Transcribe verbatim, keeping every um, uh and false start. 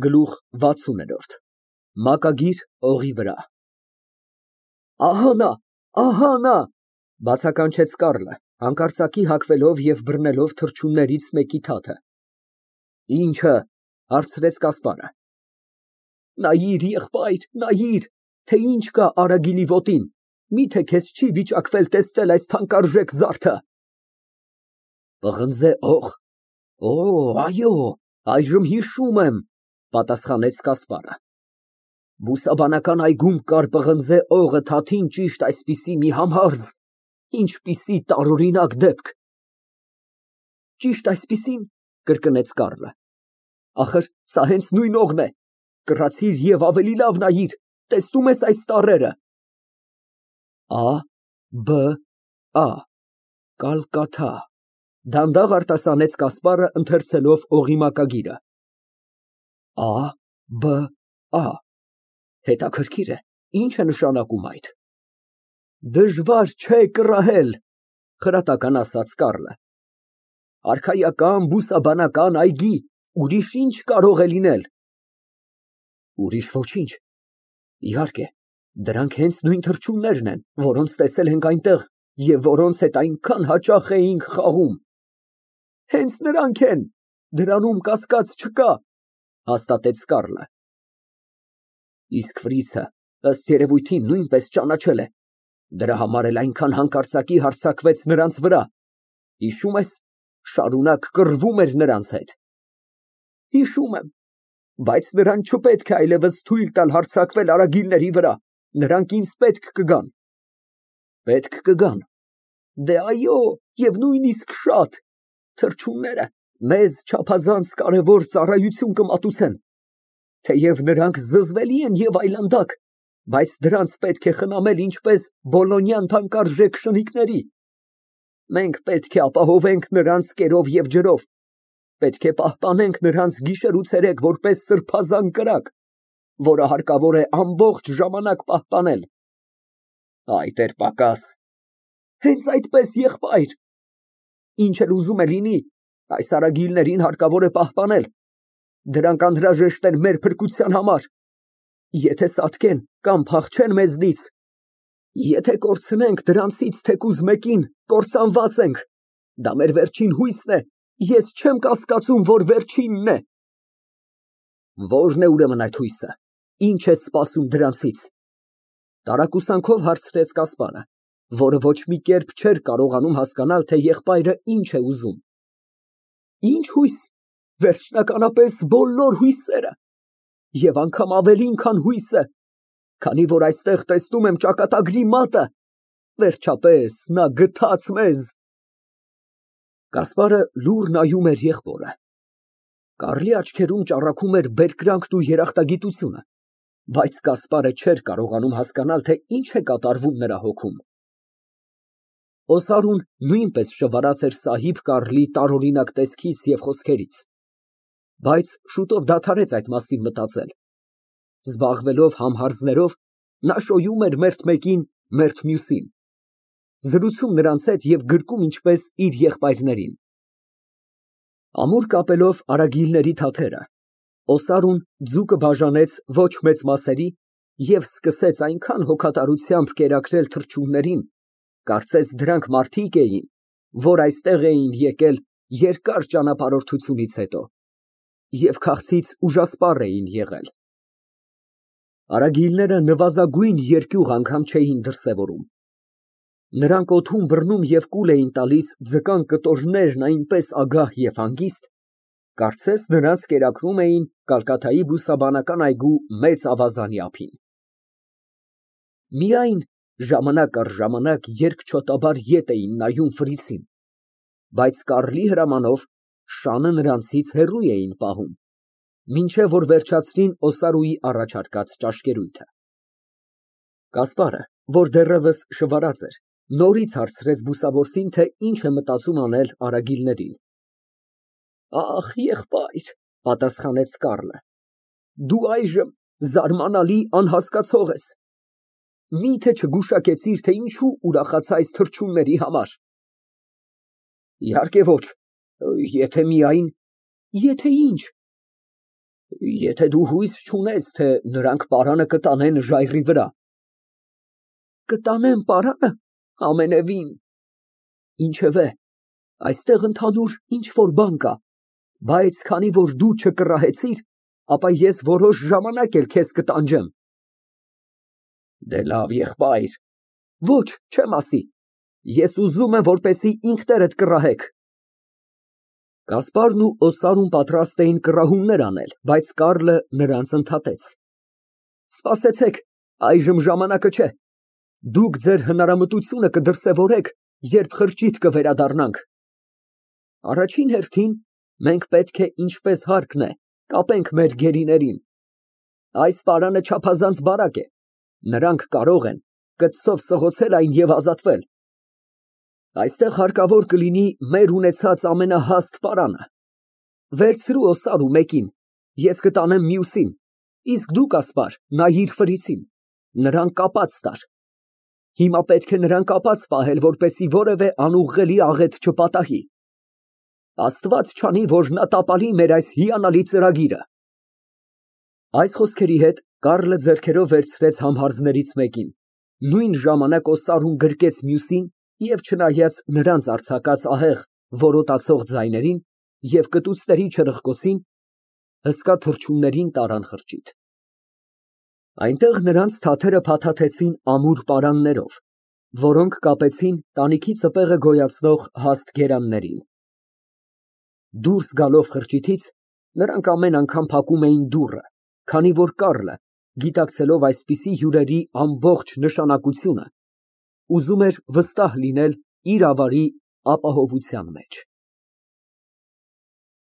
Գլուխ վաթսուն։ Մակագիր օղի վրա։ Ահա նա, ահա նա, բացականչեց Կառլը, հանկարծակի հագվելով և բռնելով թռչուններից մեկի թաթը։ Ի՞նչը, հարցրեց Կասպարը։ Նայիր, եղբայր, նայիր, թե ինչ կա Արագիլի ոտին, միթե քեզ չի վիճակվել տեսնել այս թանկարժեք զարդը։ Պղնձե օղ, օ, այո, այժմ հիշում եմ, պատասխանեց Կասպարը։ Բուսաբանական այգում կար պղնձե օղը թաթին ճիշտ այսպիսի մի համարզ, ինչպիսի տարօրինակ դեպք։ Ճիշտ այսպիսի՞ն, կրկնեց Կառլը։ Ախր սա հենց նույն օղն է, կռացիր և ավելի լավ նայիր, տեսնո՞ւմ ես այս տառերը։ Ա Բ Ա Կալկաթա, դանդաղ արտասանեց Կասպարը, ընթերցելով օղի մակագիրը։ Ա Բ Ա Հետաքրքիր է, ի՞նչ է նշանակում այդ։ Դժվար չէ կռահել, խրատական ասաց Կառլը։ Արքայական բուսաբանական այգի, ուրիշ ինչ կարող է լինել։ Ուրիշ ոչինչ։ Իհարկե, դրանք հենց նույն թռչուններն են, որոնց տեսել ենք այնտեղ և որոնց հետ այնքան հաճախ էինք խաղում։ Հենց նրանք են, դրանում կասկած չկա, հաստատեց Կառլը։ Իսկ Ֆրիցը, ըստ երևույթին, նույնպես ճանաչել է, դրա համար էլ այնքան հանկարծակի հարձակվեց նրանց վրա, հիշում ես, շարունակ կռվում էր նրանց հետ։ Հիշում եմ, բայց նրան չպետք է այլևս թույլ տալ հարձակվել արագիլների վրա, նրանք ինձ պետք կգան։ Պետք կգան։ Դե այո, և նույնիսկ շատ, թռչունները մեզ չափազանց կարևոր ծառայություն կմատուցեն, թեև նրանք զզվելի են և այլանդակ, բայց դրանց պետք է խնամել ինչպես բոլոնյան թանկարժեք շնիկների։ Մենք պետք է ապահովենք նրանց կերով և ջրով, պետք է պահպանենք նրանց գիշեր ու ցերեկ որպես սրբազան կրակ, որը հարկավոր է ամբողջ ժամանակ պահպանել։ Այդ էր պակաս։ Հենց այդպես, եղբայր։ Ինչ էլ ուզում է լինի, այս արագիլներին հարկավոր է պահպանել, դրանք անհրաժեշտ են մեր փրկության համար։ Եթե սատկեն կամ փախչեն մեզնից, եթե կորցնենք դրանցից թեկուզ մեկին, կործանված ենք, դա մեր վերջին հույսն է, ես չեմ կասկածում, որ վերջինն է։ Ո՞րն է ուրեմն այդ հույսը, ինչ ես սպասում դրանցից։ Տարակուսանքով հարցրեց Կասպարը, որը ոչ մի կերպ չէր կարողանում հասկանալ, թե եղբայրը ինչ է ուզում։ Ինչ հույս, վերջնականապես բոլոր հույսերը, և անգամ ավելին, քան հույսը, քանի որ այստեղ տեսնում եմ ճակատագրի մատը, վերջապես նա գթած մեզ։ Կասպարը լուռ նայում էր եղբորը։ Կառլի աչքերում ճառագում էր բերկրանքն ու երախտագիտությունը, բայց Կասպարը չէր կարողանում հասկանալ, թե ինչ է կատարվում նրա հոգում։ Օսարուն նույնպես շվարած էր սահիբ Կառլի տարօրինակ տեսքից և խոսքերից, բայց շուտով դադարեց այդ մասին մտածել։ Զբաղվելով համհարձներով, նա շոյում էր մերթ մեկին, մերթ մյուսին, զրուցում նրանց հետ և գրկում ինչպես իր եղբայրներին։ Ամուր կապելով արագիլների թաթերը, Օսարուն ձուկը բաժանեց ոչ մեծ մասերի և սկսեց այնքան հոգատարությամբ կերակրել թռչուններին, կարծես դրանք մարդիկ էին, որ այստեղ էին եկել երկար ճանապարհորդությունից հետո և քաղցից ուժասպառ էին եղել։ Արագիլները նվազագույն երկյուղ անգամ չէին դրսևորում։ Նրանք օդում բռնում և կուլ էին տալիս ձկան կտորներն այնպես ագահ և հանգիստ, կարծես նրանց կերակրում էին Կալկաթայի բուսաբանական այգու մեծ ավազանի ափին։ Միայն ժամանակ առ ժամանակ երկչոտաբար ետ էին նայում Ֆրիցին, բայց Կառլի հրամանով շանը նրանցից հեռու էին պահում, մինչև որ վերջացրին Օսարուի առաջարկած ճաշկերույթը։ Կասպարը, որ դեռևս շվարած էր, նորից հարցրեց բուսավորին, թե ինչ է մտածում անել արագիլներին։ Ախ, եղբայր, պատասխանեց Կառլը, դու այժմ զարմանալի անհասկացող ես։ Միթե չգուշակեցիր, թե ինչու ուրախացա այս թռչունների համար։ Իհարկե ոչ, եթե միայն… Եթե ինչ։ Եթե դու հույս չունես, թե նրանք պարանը կտանեն ժայռի վրա։ Կտանեն պարանը, ամենևին։ Ինչևէ, այստեղ ընդհանուր ինչ֊որ բան կա, բայց քանի որ դու չկռահեցիր, ապա ես որոշ ժամանակ էլ քեզ կտանջեմ։ Դե լավ, եղբայր, ոչ, չեմ ասի, ես ուզում եմ, որպեսզի ինքներդ կռահեք։ Գասպարն ու Օսարուն պատրաստ էին կռահումներ անել, բայց Կառլը նրանց ընդհատեց։ Սպասեցեք, այժմ ժամանակը չէ։ Դուք ձեր հնարամտությունը կդրսևորեք, երբ խրճիթ կվերադառնանք։ Առաջին հերթին մենք պետք է, ինչպես հարկն է, կապենք մեր գերիներին։ Այս պարանը չափազանց բարակ է, նրանք կարող են կծով սղոցել այն և ազատվել։ Այստեղ հարկավոր կլինի մեր ունեցած ամենահաստ պարանը։ Վերցրու Օսարու մեկին, ես կտանեմ մյուսին, իսկ դու, Կասպար, նայիր ֆրիցին, նրան կապած տար։ Հիմա պետք է նրան կապած պահել, որպեսզի որևէ անուղղելի աղետ չպատահի։ Աստված չանի, որ նա տապալի մեր այս հիանալի ծրագիրը։ Այս խոսքերի հետ Կառլը ձեռքերով վերցրեց համհարձներից մեկին, նույն ժամանակ Օսարուն գրկեց մյուսին և չնայած նրանց արձակած ահեղ, որոտացող ձայներին և կտուցների չրղկոցին, հսկա թռչուններին տարան խրճիթ։ Այնտեղ նրանց թաթերը փաթաթեցին ամուր պարաններով, որոնք կապեցին տանիքի ծպեղը գոյացնող հաստ գերաններին։ Դուրս գալով խրճիթից, նրանք ամեն անգամ փակում էին դուռը, քանի որ Կառլը, գիտակցելով այսպիսի հյուրերի ամբողջ նշանակությունը, ուզում էր վստահ լինել իր ավարի ապահովության մեջ։